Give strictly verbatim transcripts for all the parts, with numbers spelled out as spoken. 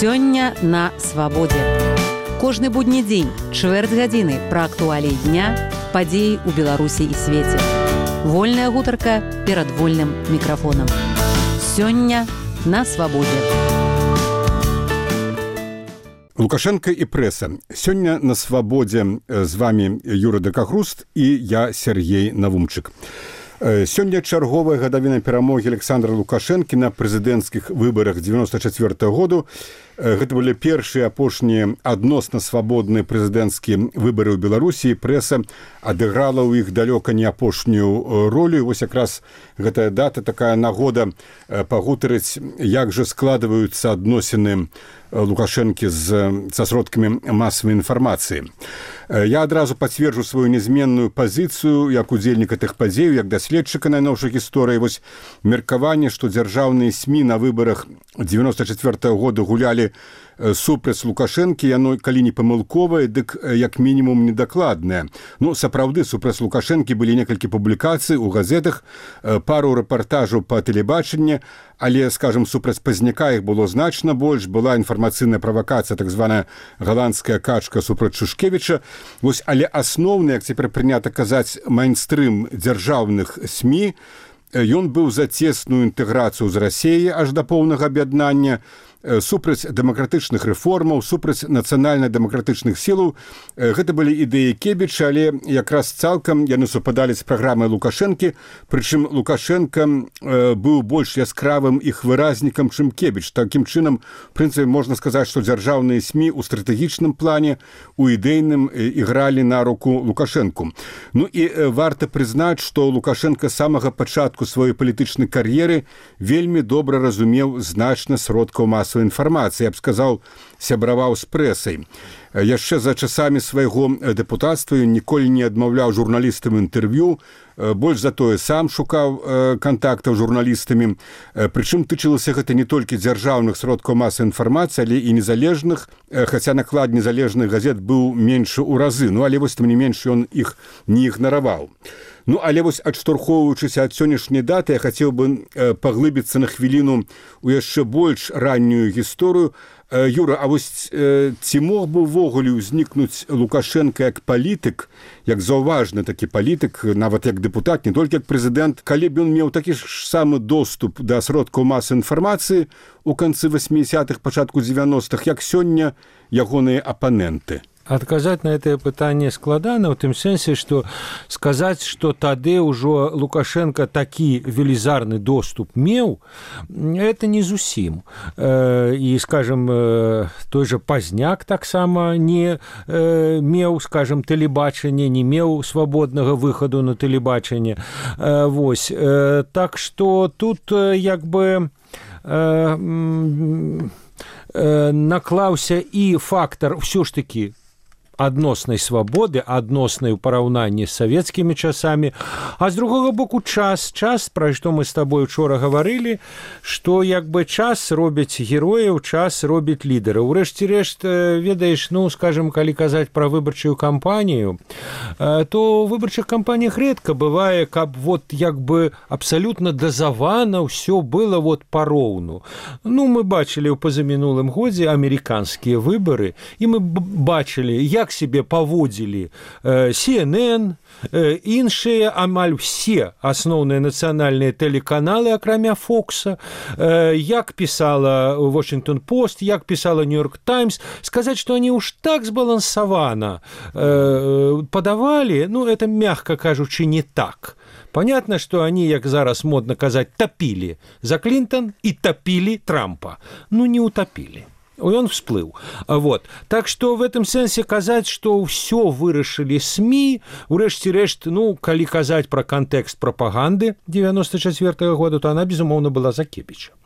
Сёння на свабодзе. Кожны будні дзень, чвэрць гадзіны пра актуаліі дня, падзеі ў Беларусі і свеце. Вольная гутарка перад вольным мікрафонам. Сёння на свабодзе. Лукашенко і прэса. Сёння на свабодзе з вами Юра Дакахруст і я Сергей Навумчык. Сёння чарговая гадавіна перамогі Александра Лукашэнкі на прэзідэнцкіх выбарах дзевяносто четвёртого году. Гэта былі першыя апошнія адносна свабодныя прэзідэнцкія выбары ў Беларусі. Прэса адыграла ў іх далёка не апошнюю ролю. І вось якраз гэтая дата, такая нагода пагутарыць, як жа складваюцца адносіны Лукашэнкі з, са сродкамі масавай інфармацыі. Я адразу пацверджу сваю нязменную пазіцыю як удзельніка тых падзеяў, як даследчыка найноўшай гісторыі. Вось меркаванне, што дзяржаўныя СМІ на выбарах дзевяносто четвёртого года гулялі супраць Лукашэнкі, яно, калі не памылковае, дык як мінімум недакладнае. Ну, сапраўды, супраць Лукашэнкі былі некалькі публікацый у газетах, пару рэпартажаў па тэлебачанні, але, скажем, супраць Пазняка іх было значна больш. Была інфармацыйная правакацыя, так званая галандская качка супраць Шушкевіча. Вось, але асноўны, як цяпер прынята казаць, майнстрым дзяржаўных СМІ, ён быў за цесную інтэграцыю з Расіяй аж да поўнага аб'яднання, супраць дэмакратычных рэформаў, супраць нацыянальна-дэмакратычных сілаў. Гэта былі ідэі Кебіча, але якраз цалкам яны супадалі з праграмай Лукашэнкі, прычым Лукашенко быў больш яскравым іх выразнікам, чым Кебіч. Такім чынам, в прынцыпе, можна сказаць, што дзяржаўныя СМІ ў стратэгічным плане, у ідэйным ігралі на руку Лукашэнку. Ну і варта прызнаць, што Лукашенко з самага пачатку сваёй палітычнай кар'еры вельмі добра разумеў значна сродкаў масавай інфармацыі, я б сказаў, сябраваў з прэсай. Яшчэ за часамі свайго дэпутацтва ён ніколі не адмаўляў журналістам інтэрв'ю, больш за тое сам шукаў кантактаў з журналістамі. Прычым тычылася гэта не толькі дзяржаўных сродкаў масавай інфармацыі, але і незалежных, хаця наклад незалежных газет быў меншы ў разы, ну але вось тым не менш ён іх не ігнараваў. Ну, але вось адштурхоўваючыся ад сённяшняй даты, я хацеў бы паглыбіцца на хвіліну ў яшчэ больш раннюю гісторыю. Юра, а вось ці мог бы ўвогуле ўзнікнуць Лукашенко як палітык, як заўважны такі палітык, нават як дэпутат, не толькі як прэзідэнт, калі б ён меў такі ж самы доступ да сродкаў масавай інфармацыі ў канцы восьмідзесятых, пачатку дзевяностых, як сёння ягоныя апаненты? Адказаць на гэтае пытанне складана, ў тым сэнсе, што сказаць, што тады ўжо Лукашенко такі велізарны доступ меў, это не зусім. І, скажем, той жа Пазняк таксама не меў, скажем, тэлебачанне, не меў свабоднага выхаду на тэлебачанне. Вось. Так што тут як бы наклаўся і фактар ўсё ж такі адноснай свабоды, адноснай у параўнанні з савецкімі часамі, а з другога боку час, час, пра што мы з табой учора гаварылі, што як бы час робіць герояў, час робіць лідэраў. Урэшце-рэшт, ведаеш, ну, скажем, калі казаць пра выбарчую кампанію, то ў выбарчых кампаніях рэдка бывае, каб вот як бы абсалютна дазавана ўсё было вот пароўну. Ну, мы бачылі ў пазамінулым годзе амерыканскія выбары, і мы бачылі, як себе паводзілі Си Эн Эн, іншыя амаль все асноўныя нацыянальныя тэлеканалы, акрамя Фокса, як пісала Washington Post, як пісала New York Times. Сказаць, што они уж так збалансавана падавалі, ну, это, мягка кажучы, не так. Понятно, что они, як зараз модна казаць, топили за Клинтон и топили Трампа. Ну, не утопили. Он всплыл. Вот. Так что в этом сенсе казаць, што ўсё вырашылі СМІ, урэшце-рэшт, ну, калі казаць пра кантэкст прапаганды дзевяносто четвёртого года, то она, безумоўна, была за Кебіча.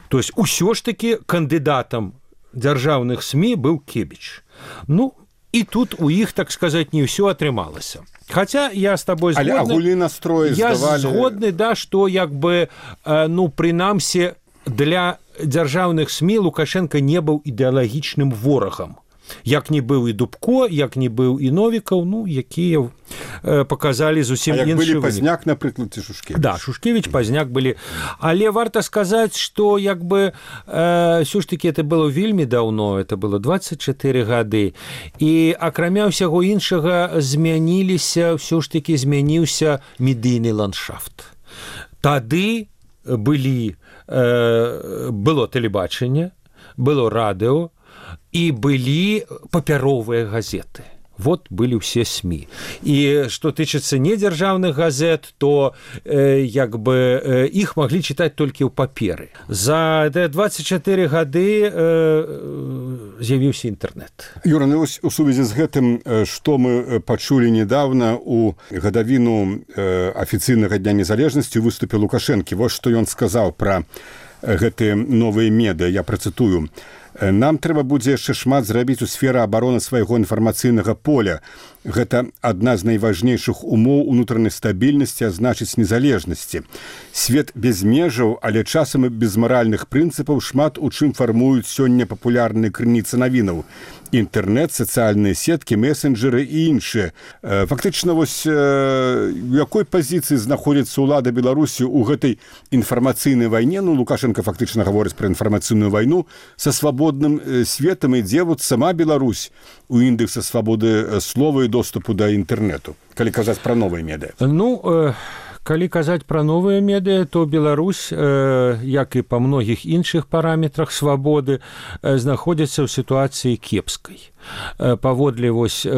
То есть усё ж таки кандыдатам дзяржаўных СМІ быў Кебіч. Ну, і тут у іх, так сказаць, не ўсё атрымалася. Хаця я з табой згодны. Але агульны настрой здавалі. Я згодны, да, што як бы, ну, прынамсі, для дзяржаўных СМІ Лукашенко не быў ідэалагічным ворагам. Як не быў і Дубко, як не быў і Новікаў, ну, якія показалі зусім іншы вынік. былі Пазняк, напрыклад, ці Шушкевіч. Да, Шушкевіч, Пазняк былі. Але варта сказаць, што як бы э, ўсё ж такі это было вельмі даўно, это было дваццаць чатыры гады. І акрамя ўсяго іншага змяніліся, ўсё ж такі змяніўся медыйны ландшафт. Тады былі, э, было тэлебачанне, было радыо, і былі папяровыя газеты. Вот былі ўсе СМІ. І што тычыцца недзяржаўных газет, то э, як бы э, іх маглі чытаць толькі ў паперы. За дваццаць чатыры гады э, з'явіўся інтэрнэт. Юра, ну, у сувязі з гэтым, што мы пачулі недавно у гадавіну э, афіцыйнага дня незалежнасці ў выступе Лукашэнкі. Вось што ён сказаў пра гэтыя новыя медыа, я працытую. Нам трэба будзе яшчэ шмат зрабіць у сферы абароны свайго інфармацыйнага поля. Гэта адна з найважнейшых умоў унутранай стабільнасці, а значыць незалежнасці. Свет без межаў, але часам і без маральных прынцыпаў шмат у чым фармуюць сёння папулярныя крыніцы навінаў. Інтэрнэт, сацыяльныя сеткі, месенджеры і іншыя. Фактычна, вось у якой пазіцыі знаходзіцца ўлада Беларусі ў гэтай інфармацыйнай вайне? Ну, Лукашенко фактычна гаворыць пра інфармацыйную вайну са свабодным светам, ідзе вот сама Беларусь у індэкса свабоды слова і доступу да інтэрнэту, калі казаць пра новыя медыа. Ну, э... Калі казаць пра новыя медыа, то Беларусь, э, як і па многіх іншых параметрах свабоды, э, знаходзіцца ў сітуацыі кепскай. Э, паводле вось э,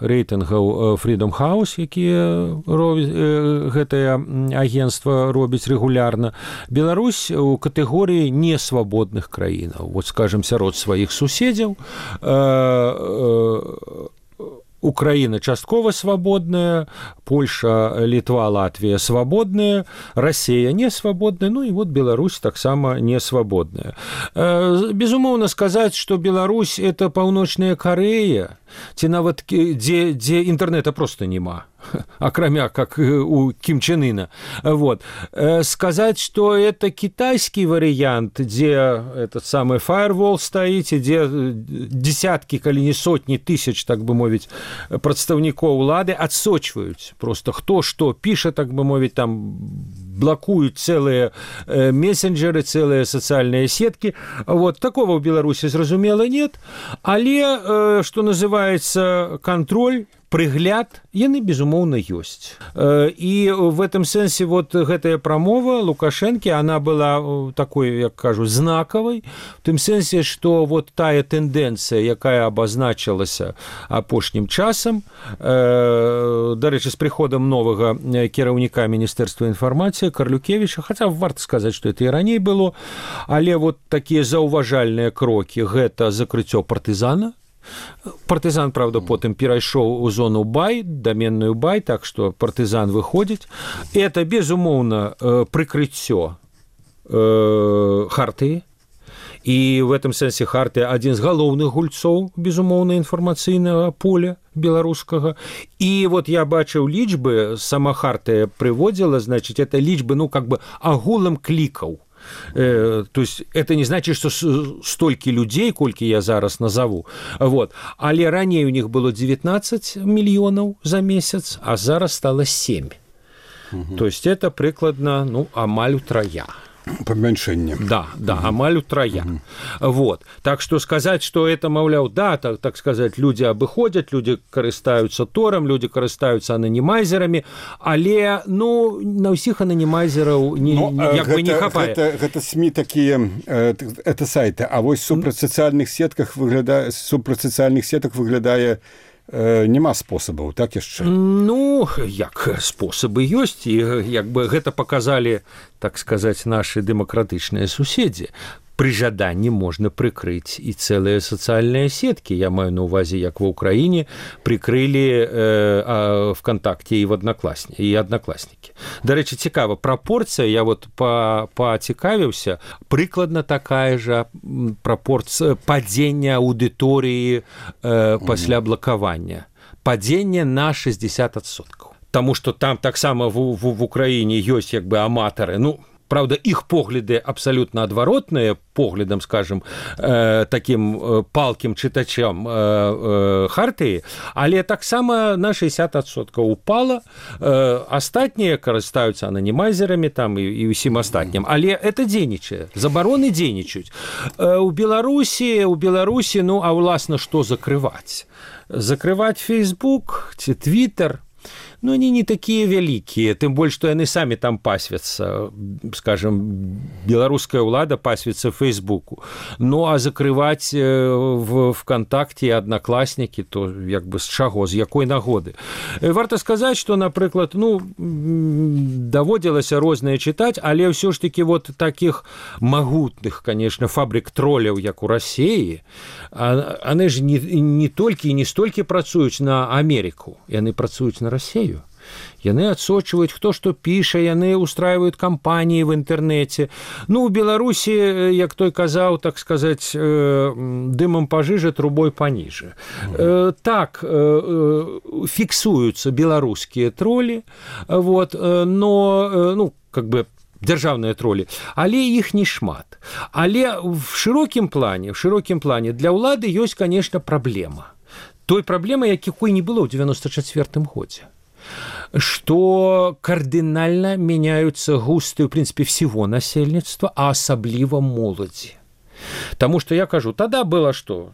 рэйтынгаў Freedom House, якія робіць, э, гэтае агенцтва робіць рэгулярна, Беларусь у катэгорыі несвабодных краінаў. Вот, скажем, сярод сваіх суседзяў, э, э, Украина часткова свободная, Польша, Литва, Латвия свободная, Россия не свободная, ну и вот Беларусь так само не свободная. Безумоўна сказать, что Беларусь это паўночная Корея, ці нават дзе, дзе інтэрнэта просто няма, акрамя как у Ким Чен Ына. Вот. Сказать, что это китайский вариант, где этот самый firewall стоит, где десятки, калі не сотни тысяч, так бы мовить, прадстаўнікоў улады адсочваюць просто хто што піша, так бы мовить, там блокуют целые э, мессенджеры, целые социальные сетки. Вот. Такого в Беларуси, зразумела, нет. Але, э, что называется, контроль, прыгляд, яны, безумоўна, ёсць. І в этом сэнсе вот гэтая прамова Лукашэнкі, она была такой, як кажу, знакавай, в тым сэнсе, што вот тая тэндэнцыя, якая абазначылася апошнім часам, дарэчы, з прыходам новага кіраўніка Міністэрства інфармацыі Карлюкевіча, хаця варта сказаць, што это і раней было, але вот такія заўважальныя крокі, гэта закрыццё партызана. Партызан, правда, потым перайшоў у зону бай, даменную бай, так што партызан выходзіць. Это, безумоўна, прыкрыццё э, хартыі. І в этом сэнсе хартыя адзін з галоўных гульцоў, безумоўна, інфармацыйнага поля беларускага. І вот я бачыў лічбы, сама хартыя прыводзіла, значыць, это лічбы, ну, как бы агулам клікаў. Э, то есть это не значит, что столькі людей, колькі я зараз назову. Вот. Але раней у них было девятнадцать миллионов за месяц, а зараз стало семь. Угу. То есть это прыкладна, ну, амаль утрая. Памяншэнне. Да, да, угу. Амаль утрая. Угу. Вот. Так что сказать, что это, маўляў, да, так, так сказать, люди абыходят, люди карыстаюцца тором, люди карыстаюцца анонимайзерами, але, ну, на ўсіх анонимайзераў не, ну, як гэта, бы не хапае. Гэта, гэта СМИ такие, это сайты, а вось супраць сацыяльных сетках выглядае, супраць сацыяльных сетак выглядае няма спосабаў, так яшчэ? Ну, як спосабы ёсць, і як бы гэта паказалі, так сказаць, нашы дэмакратычныя суседзі. Пры жаданні можна прыкрыць і цэлыя сацыяльныя сеткі. Я маю на ўвазе, як ва ўкраіне прыкрылі э, ВКонтакте і в Одноклассні, і Однокласнікі. Дарэчы, цікава, прапорцыя, я вот пацікавіўся, прыкладна такая жа прапорцыя падзення аўдыторыі э, пасля блакавання. Падзення на шестьдесят адсоткаў. Таму што там таксама в, в, в Украіне ёсць як бы аматары, ну, Правда, іх погляды абсалютна адваротныя поглядам, скажем, э, такім палкім чытачам э, э, хартыі, але таксама на шэсцьдесят адсоткаў упала. Э, астатнія карыстаюцца ананімайзерамі там і, і ўсім астатнім. Але это дзейнічае. Забароны дзейнічаюць. Э, у Беларусі, у Беларусі, ну, а ўласна, што закрываць? Закрываць Facebook ці Twitter, ну, они не такие великие, тем более, что они сами там пасвятся, скажем, белорусская улада пасвится в Фейсбуку. Ну, а закрывать в ВКонтакте и Одноклассники, то как бы с чаго, с якой нагоды. Варто сказать, что, например, ну, доводилось разное читать, але все ж таки вот таких могутных, конечно, фабрик троллев, як у России, они же не, не только и не столько працуют на Америку, и они працуют на Россию. Яны адсочваюць, хто што піша, яны устраивают кампаніі в інтэрнэце. Ну, у Беларусі, як той казаў, так сказаць, дымам пажыжа, трубой паніжа. Mm-hmm. Так, фіксуюцца беларускія тролі, вот, но, ну, как бы, дзяржаўныя тролі, але іх не шмат. Але в шырокім плане, в шырокім плане для ўлады ёсць, конечно, праблема. Той праблемы, якой не было ў девяносто четвёртым годзе. Что кардинально меняются густы, в принципе, всего насельництва, а особливо молоди. Потому что, я кажу, тогда было что?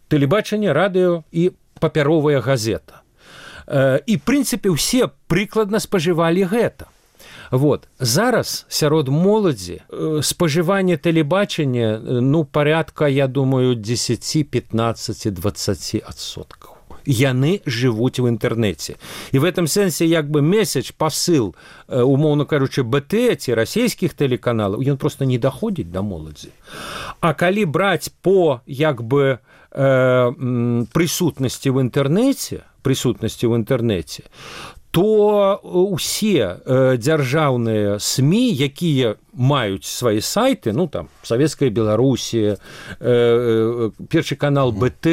Телебачение, радио и папяровая газета. И, в принципе, все прикладно споживали гэта. Вот. Зараз сярод моладзі спажыванне тэлебачання, ну, порядка, я думаю, десять, пятнадцать, двадцать адсоткаў. Яны жывуць в інтэрнэце. І в этом сэнсе як бы месседж, пасыл, умоўна кажучы, БТ ці расійскіх тэлеканалаў, ён просто не даходзіць да моладзі. А калі браць по як бы э, прысутнасці в інтэрнэце, прысутнасці в інтэрнэце, то усе э, дзяржаўныя СМІ, якія маюць свае сайты, ну там Савецкая Беларусія, э, э, першы канал БТ,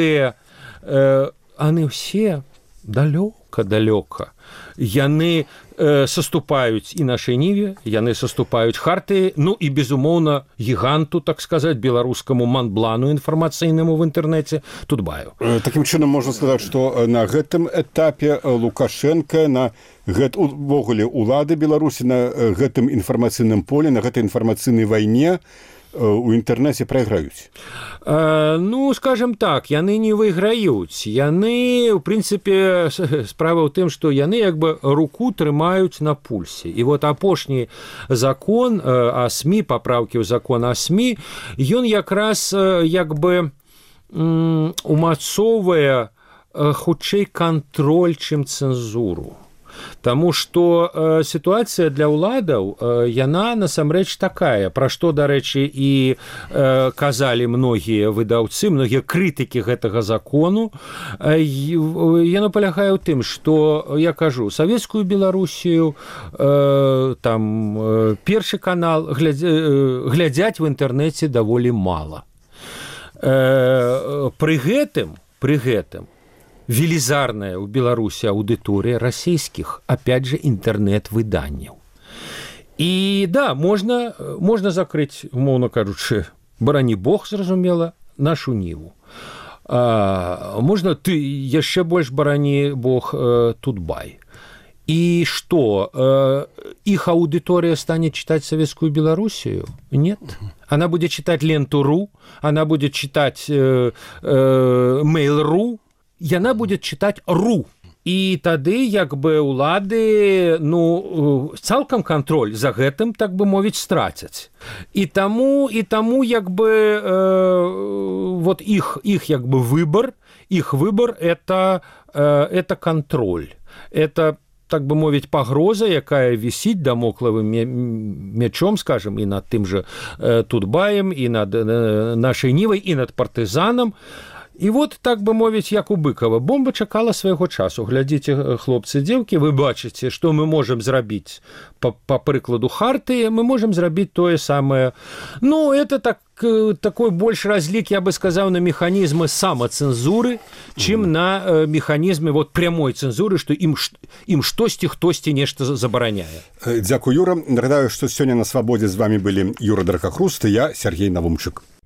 э, они все далёка-далёка. Яны э, саступаюць і нашай ніве, яны саступаюць хартыі, ну і, безумоўна, гіганту, так сказаць, беларускаму манблану інфармацыйнаму в інтэрнэце Тутбаю. Такім чынам можна сказаць, што на гэтым этапе Лукашенко, на гэт, увогуле улады Беларусі на гэтым інфармацыйным поле, на гэтай інфармацыйнай вайне у інтэрнэце прайграюць? Э, ну, скажем так, яны не выйграюць. Яны, у прынцыпе, справа ў тым, што яны як бы руку трымаюць на пульсе. І вот апошні закон о СМІ, папраўкі ў закон о СМІ, ён якраз як бы умацоўвае хутчэй кантроль, чым цэнзуру. Таму што э, сітуацыя для ўладаў, э, яна насамрэч такая, пра што, дарэчы, і э, казалі многія выдаўцы, многія крытыкі гэтага закону. Э, яно палягае ў тым, што, я кажу, Савецкую Беларусію, э, там, э, першы канал глядзя, э, глядзяць в інтэрнэце даволі мала. Э, пры гэтым, пры гэтым, велізарная ў Беларусі аўдыторыя расійскіх, опять же, інтэрнэт-выданняў. І, да, можна, можна закрыць, умоўна кажучы, барані Бог, зразумела, нашу ніву. А, можна ты яшчэ больш барані Бог э, Тутбай. І што, э, іх аўдыторыя стане чытаць Савецкую Беларусію? Нет. Она будзе чытаць Ленту.ру, она будзе чытаць э, э, Mail.ру, яна будет чытаць ру. І тады як бы улады, ну, цалкам кантроль за гэтым, так бы мовіць, страцяць. І таму, і таму як бы э, вот іх, іх як бы выбор, іх выбор это, э, это контроль. Это, так бы мовіць, пагроза, якая вісіць дамоклавым мячом, скажем, і над тым же э, Тутбаем, і над э, нашай нівай, і над партызанам. І вот, так бы мовіць, як у Быкава, бомба чакала свайго часу. Глядзіце, хлопцы, дзеўкі, вы бачыце, што мы можам зрабіць па, па прыкладу Хартыі, мы можам зрабіць тое самае. Ну, это так, такой больш разлік, я бы сказаў, на механізмы самацэнзуры, чым mm. на э, механізмы вот, прямой цэнзуры, што ім, ім штосьці, хтосьці нешта забараняе. Дзякуй, Юра. Нагадаю, што сёння на Свабодзе з вами былі Юра Дракахруст і я, Сергей Навумчык.